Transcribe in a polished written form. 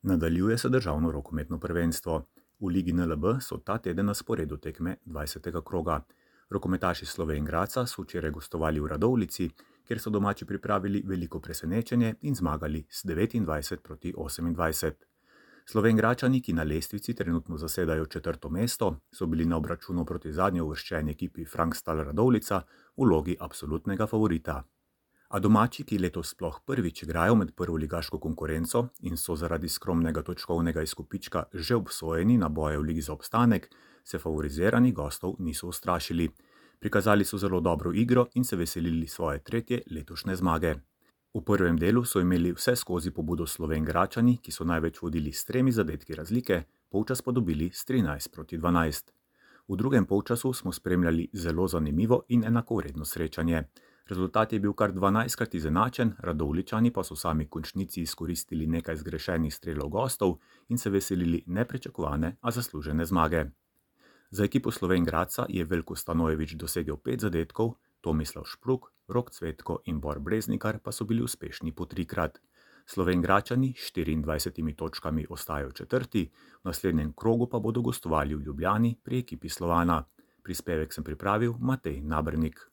Nadaljuje se državno rokometno prvenstvo. V Ligi NLB so ta teden na sporedu tekme 20. kroga. Rokometaši Slovenj Gradca so včeraj gostovali v Radovljici, kjer so domači pripravili veliko presenečenje in zmagali s 29-28. Slovenjgračani, ki na lestvici trenutno zasedajo 4. mesto, so bili na obračunu proti zadnjo uvrščeni ekipi Frankstal Radovljica v vlogi absolutnega favorita. A domači, ki letos sploh prvič igrajo med prvoligaško konkurenco in so zaradi skromnega točkovnega izkupička že obsojeni na boje v ligi za obstanek, se favoriziranih gostov niso ustrašili. Prikazali so zelo dobro igro in se veselili svoje 3. letošnje zmage. V prvem delu so imeli vse skozi pobudo Slovenjgračani, ki so največ vodili s 3 zadetki razlike, polčas pa dobili s 13-12. V drugem polčasu smo spremljali zelo zanimivo in enakovredno srečanje. Rezultat je bil kar 12krat izenačen, Radovljičani pa so sami v končnici izkoristili nekaj zgrešenih strelov gostov in se veselili nepričakovane, a zaslužene zmage. Za ekipo Slovenj Gradca je Veljko Stanojević dosegel 5 zadetkov, Tomislav Špruk, Rok Cvetko in Bor Breznikar pa so bili uspešni po 3krat. Slovenjgračani s 24 točkami ostajajo 4., v naslednjem krogu pa bodo gostovali v Ljubljani pri ekipi Slovana. Prispevek sem pripravil Matej Nabernik.